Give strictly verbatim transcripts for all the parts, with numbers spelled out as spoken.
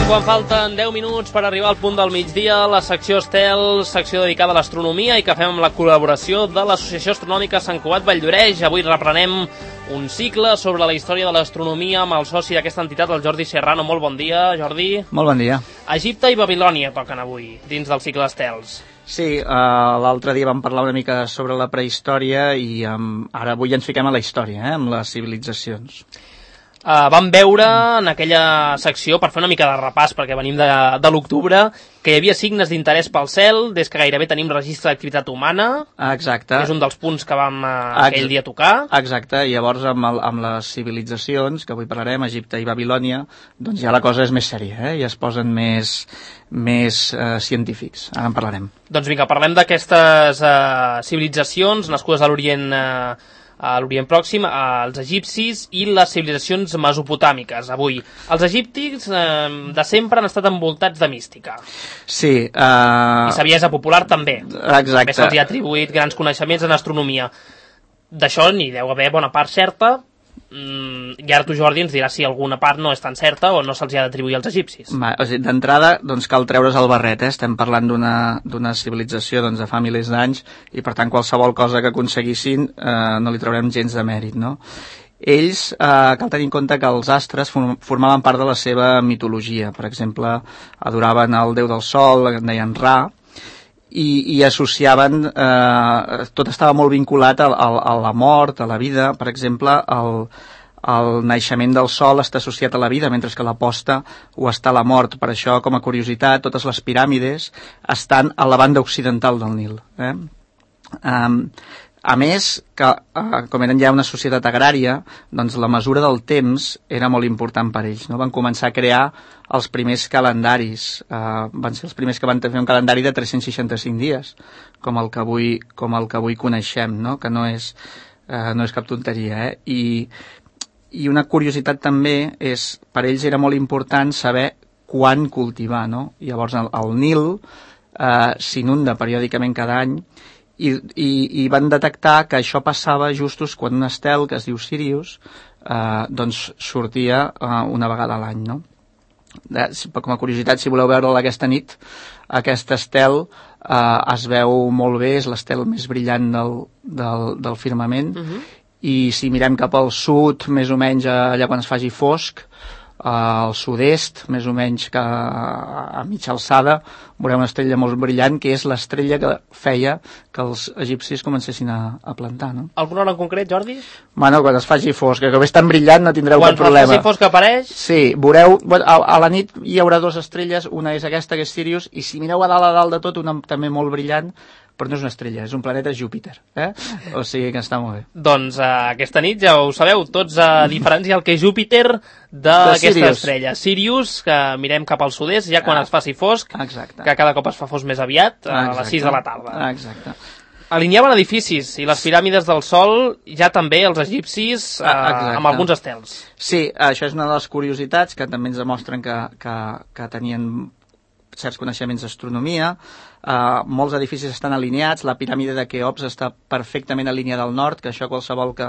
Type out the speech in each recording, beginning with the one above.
Quan falten deu minuts per arribar al punt del migdia, la secció Estel, secció dedicada a l'astronomia i que fem amb la col·laboració de l'Associació Astronòmica Sant Cugat Valldoreix. Avui reprenem un cicle sobre la història de l'astronomia amb el soci d'aquesta entitat, el Jordi Serrano. Molt bon dia, Jordi. Molt bon dia. Egipte i Babilònia toquen avui, dins del cicle Estels. Sí, uh, l'altre dia vam parlar una mica sobre la prehistòria i um, ara avui ens fiquem a la història, eh, amb les civilitzacions. Uh, vam veure en aquella secció, per fer una mica de repàs, perquè venim de, de l'octubre, que hi havia signes d'interès pel cel, des que gairebé tenim registre d'activitat humana. Exacte. Que és un dels punts que vam uh, aquell dia tocar. Exacte, i llavors amb, el, amb les civilitzacions, que avui parlarem, Egipte i Babilònia, doncs ja la cosa és més sèria, eh? Ja es posen més, més uh, científics. Ara en parlarem. Doncs vinga, parlem d'aquestes uh, civilitzacions nascudes a l'Orient uh, a l'Orient Pròxim, als egipcis i les civilitzacions mesopotàmiques. Avui, els egipcis eh, de sempre han estat envoltats de mística. Sí. Uh... I saviesa popular també. Exacte. També se'ls ha atribuït grans coneixements en astronomia. D'això n'hi deu haver bona part certa, mm, i ara tu, Jordi, ens diràs si alguna part no és tan certa o no se'ls ha d'atribuir als egipcis. Va, o sigui, d'entrada, doncs cal treure's el barret, eh? Estem parlant d'una civilització doncs, de fa milers d'anys i per tant qualsevol cosa que aconseguissin eh, no li traurem gens de mèrit, no? Ells, eh, cal tenir en compte que els astres formaven part de la seva mitologia. Per exemple, adoraven el déu del sol, en deien Ra, i, i associaven, eh, tot estava molt vinculat a, a, a la mort, a la vida. Per exemple, el, el naixement del sol està associat a la vida, mentre que la posta ho està a la mort. Per això, com a curiositat, totes les piràmides estan a la banda occidental del Nil. Eh? Um, a més, que, eh, com eren ja una societat agrària, doncs la mesura del temps era molt important per ells, no? Van començar a crear els primers calendaris, eh, van ser els primers que van fer un calendari de tres-cents seixanta-cinc dies, com el que avui, com el que avui coneixem, no? Que no és, eh, no és cap tonteria, eh? I, I una curiositat també és, per ells era molt important saber quan cultivar, no? I llavors el, el Nil eh, s'inunda periòdicament cada any, I, i, i van detectar que això passava justos quan un estel que es diu Sirius eh, doncs sortia eh, una vegada a l'any, no? Eh, com a curiositat, si voleu veure-la aquesta nit, aquest estel eh, es veu molt bé, és l'estel més brillant del, del, del firmament. Uh-huh. I si mirem cap al sud, més o menys allà quan es faci fosc, al sud-est, més o menys que a mitja alçada, veurem una estrella molt brillant, que és l'estrella que feia que els egipcis comencessin a, a plantar, no? Alguna hora en concret, Jordi? Bueno, quan es faci fosc, que com és tan brillant no tindreu quan cap problema. Quan es faci fosc apareix? Sí, veureu, a, a la nit hi haurà dues estrelles, una és aquesta, que és Sirius, i si mireu a dalt a dalt de tot, una també molt brillant, però no és una estrella, és un planeta Júpiter, eh? O sigui que està molt bé. Doncs uh, aquesta nit, ja ho sabeu, tots a uh, diferenciar el que és Júpiter d'aquesta estrella. Sirius, que mirem cap al sud-est, ja quan ah, es faci fosc, exacte. Que cada cop es fa fosc més aviat, a exacte. les sis de la tarda. Exacte. Alineaven edificis i les piràmides del Sol, ja també els egipcis, uh, amb alguns estels. Sí, això és una de les curiositats que també ens demostren que, que, que tenien certs coneixements d'astronomia. Uh, molts edificis estan alineats, la piràmide de Keops està perfectament alineada al nord, que això qualsevol que,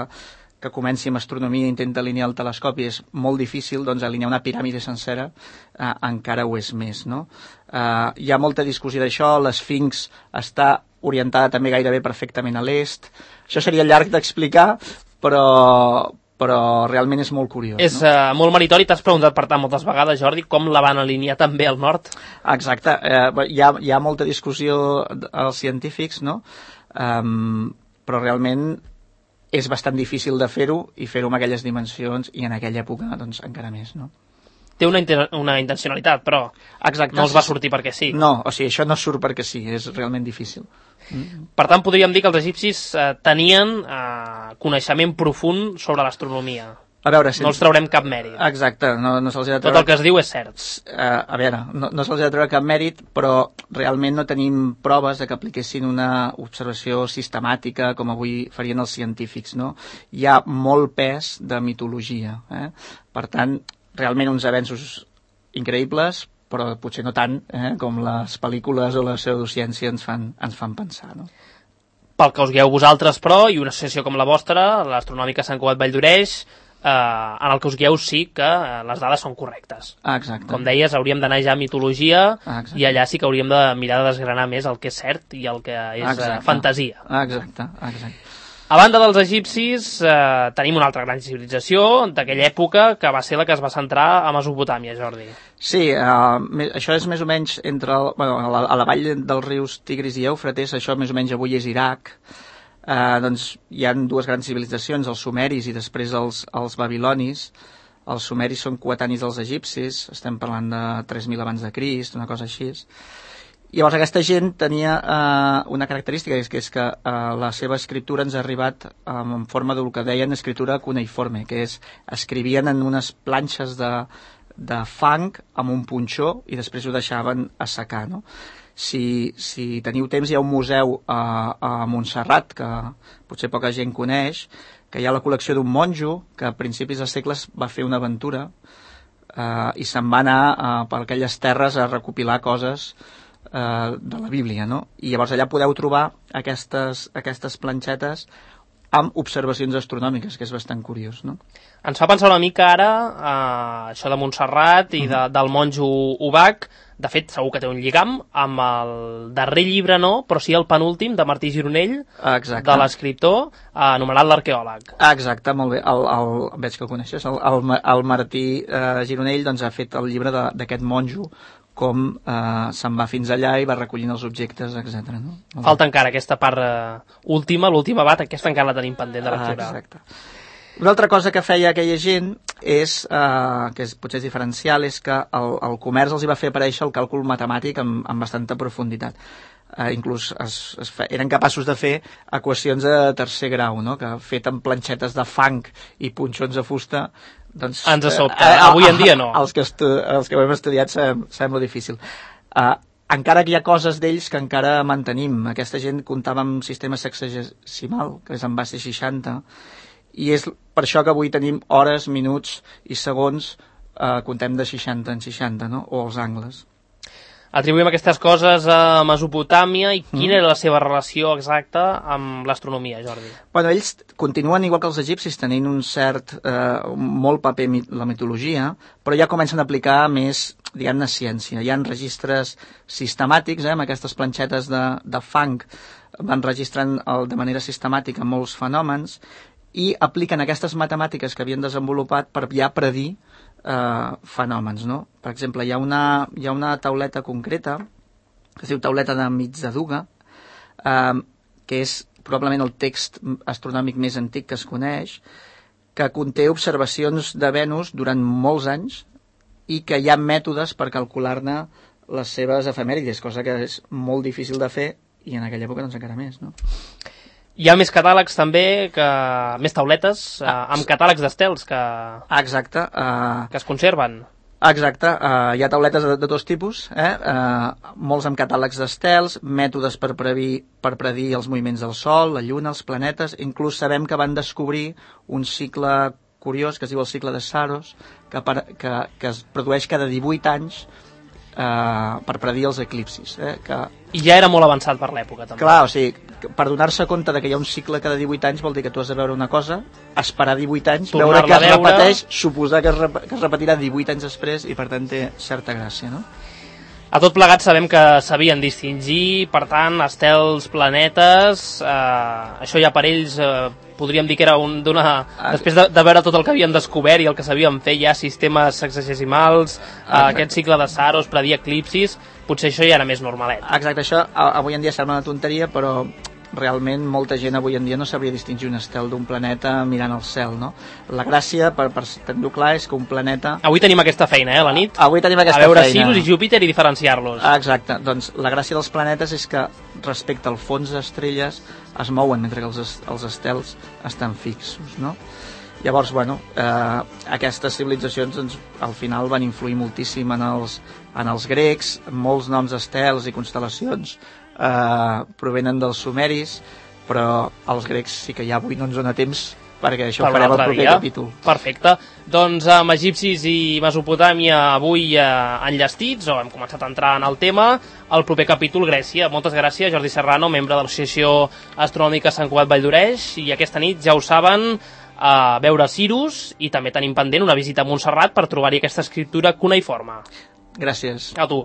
que comenci amb astronomia i intenta alinear el telescopi és molt difícil, doncs alinear una piràmide sencera uh, encara ho és més, no? Uh, hi ha molta discussió d'això, l'Esfinx està orientada també gairebé perfectament a l'est. Això seria llarg d'explicar, però... però realment és molt curiós. És no? uh, molt meritori, t'has preguntat per tant moltes vegades, Jordi, com la van alinear també al nord? Exacte, eh, hi, ha, hi ha molta discussió als científics, no? Um, però realment és bastant difícil de fer-ho i fer-ho amb aquelles dimensions i en aquella època doncs encara més, no? Té una, una intencionalitat, però exacte, no els va sortir perquè sí. No, o sigui, això no surt perquè sí, és realment difícil. Mm. Per tant, podríem dir que els egipcis eh, tenien eh, coneixement profund sobre l'astronomia. A veure, si... No els traurem cap mèrit. Exacte, no, no se'ls ha de treure... Tot el que es diu és cert. Uh, a veure, no, no se'ls ha de treure cap mèrit, però realment no tenim proves de que apliquessin una observació sistemàtica com avui farien els científics, no? Hi ha molt pes de mitologia, eh? Per tant, realment uns avenços increïbles, però potser no tant eh, com les pel·lícules o la pseudociència ens fan, ens fan pensar, no? Pel que us guieu vosaltres, però, i una associació com la vostra, l'Astronòmica Sant Cugat Valldoreix, eh, en el que us guieu sí que eh, les dades són correctes. Ah, exacte. Com deies, hauríem d'anar ja a mitologia ah, i allà sí que hauríem de mirar de desgranar més el que és cert i el que és eh, fantasia. Ah, exacte, exacte. A banda dels egipcis, eh, tenim una altra gran civilització d'aquella època que va ser la que es va centrar a Mesopotàmia, Jordi. Sí, uh, això és més o menys entre el, bueno, a, la, a la vall dels rius Tigris i Eufrates, això més o menys avui és Iraq. Uh, doncs hi ha dues grans civilitzacions, els sumeris i després els, els babilonis. Els sumeris són coetanis dels egipcis, estem parlant de tres mil abans de Crist, una cosa així. Llavors aquesta gent tenia eh, una característica, que és que, és que eh, la seva escriptura ens ha arribat eh, en forma del que deien escriptura cuneiforme, que és, escrivien en unes planxes de, de fang amb un punxó i després ho deixaven assecar, no? Si, si teniu temps, hi ha un museu a, a Montserrat, que potser poca gent coneix, que hi ha la col·lecció d'un monjo que a principis de segles va fer una aventura eh, i se'n va anar eh, per aquelles terres a recopilar coses Uh, de la Bíblia, no? I llavors allà podeu trobar aquestes, aquestes planxetes amb observacions astronòmiques, que és bastant curiós, no? Ens fa pensar una mica ara uh, això de Montserrat i de, del monjo Ubach. De fet, segur que té un lligam amb el darrer llibre, no, però sí el penúltim de Martí Gironell, exacte, de l'escriptor, uh, anomenat l'arqueòleg. Exacte, molt bé, el, el, veig que el coneixes, el, el, el Martí uh, Gironell doncs, ha fet el llibre d'aquest monjo, com eh, se'n va fins allà i va recollint els objectes, etcètera. No? Falta encara aquesta part uh, última, l'última bat, aquesta encara la tenim pendent de lectura. Ah, exacte. Una altra cosa que feia aquella gent és, eh, que és, potser és diferencial, és que el, el comerç els hi va fer aparèixer el càlcul matemàtic amb, amb bastanta profunditat. Eh, inclús es, es fe, eren capaços de fer equacions de tercer grau, no? Que fet amb planxetes de fang i punxons de fusta, doncs, ens sobta, eh, avui en dia no. Els que, estu els que ho hem estudiat sem sembla difícil. Uh, encara que hi ha coses d'ells que encara mantenim. Aquesta gent comptava amb sistema sexagesimal, que és en base seixanta, i és per això que avui tenim hores, minuts i segons, uh, comptem de seixanta en seixanta, no? O els angles. Atribuïm aquestes coses a Mesopotàmia i quina mm. era la seva relació exacta amb l'astronomia, Jordi? Bueno, ells continuen, igual que els egipcis, tenint un cert, eh, molt paper la mitologia, però ja comencen a aplicar més, diguem-ne, ciència. Hi ha registres sistemàtics, eh, amb aquestes planxetes de, de fang, van registrant el, de manera sistemàtica molts fenòmens i apliquen aquestes matemàtiques que havien desenvolupat per ja predir Uh, fenòmens, no? Per exemple, hi ha una, hi ha una tauleta concreta que es diu tauleta de mig de Duga, uh, que és probablement el text astronòmic més antic que es coneix, que conté observacions de Venus durant molts anys i que hi ha mètodes per calcular-ne les seves efemèrides, cosa que és molt difícil de fer i en aquella època doncs encara més, no? Hi ha més catàlegs també, que més tauletes, ah, amb catàlegs d'estels que, exacte, uh, que es conserven. Exacte, uh, hi ha tauletes de, de tots tipus, eh? uh, molts amb catàlegs d'estels, mètodes per, predir, per predir els moviments del Sol, la Lluna, els planetes. Inclús sabem que van descobrir un cicle curiós que es diu el cicle de Saros, que, per, que, que es produeix cada divuit anys uh, per predir els eclipsis. Eh? Que... I ja era molt avançat per l'època, també. Clar, o sigui, per donar-se compte de que hi ha un cicle cada divuit anys vol dir que tu has de veure una cosa, esperar divuit anys, veure que es veure... repeteix, suposar que es, rep que es repetirà divuit anys després i per tant té certa gràcia, no? A tot plegat sabem que sabien distingir, per tant, estels, planetes, eh, això ja per ells eh, podríem dir que era un d'una... Ah, després de, de veure tot el que havien descobert i el que sabien fer ja, sistemes sexagesimals, eh, aquest cicle de Saros, predir eclipsis, potser això ja era més normalet. Exacte, això avui en dia sembla una tonteria, però realment molta gent avui en dia no sabria distingir un estel d'un planeta mirant el cel, no? La gràcia, per, per tenir-ho clar, és que un planeta... Avui tenim aquesta feina, eh, a la nit? Avui tenim aquesta feina. A veure feina. Sirius i Júpiter i diferenciar-los. Exacte, doncs la gràcia dels planetes és que respecte al fons d'estrelles es mouen mentre que els, els estels estan fixos, no? Llavors, bueno, eh, aquestes civilitzacions doncs, al final van influir moltíssim en els, en els grecs, molts noms d'estels i constel·lacions eh, provenen dels sumeris, però els grecs sí que ja avui no ens dona temps perquè això ho farem al proper dia. Capítol. Perfecte. Doncs amb egipcis i Mesopotàmia avui eh, enllestits, o hem començat a entrar en el tema, el proper capítol Grècia. Moltes gràcies, Jordi Serrano, membre de l'Associació Astronòmica Sant Cugat Vall d'Oreix, i aquesta nit, ja ho saben, a veure Cirus i també tenim pendent una visita a Montserrat per trobar-hi aquesta escriptura cuneiforme. Gràcies. A tu.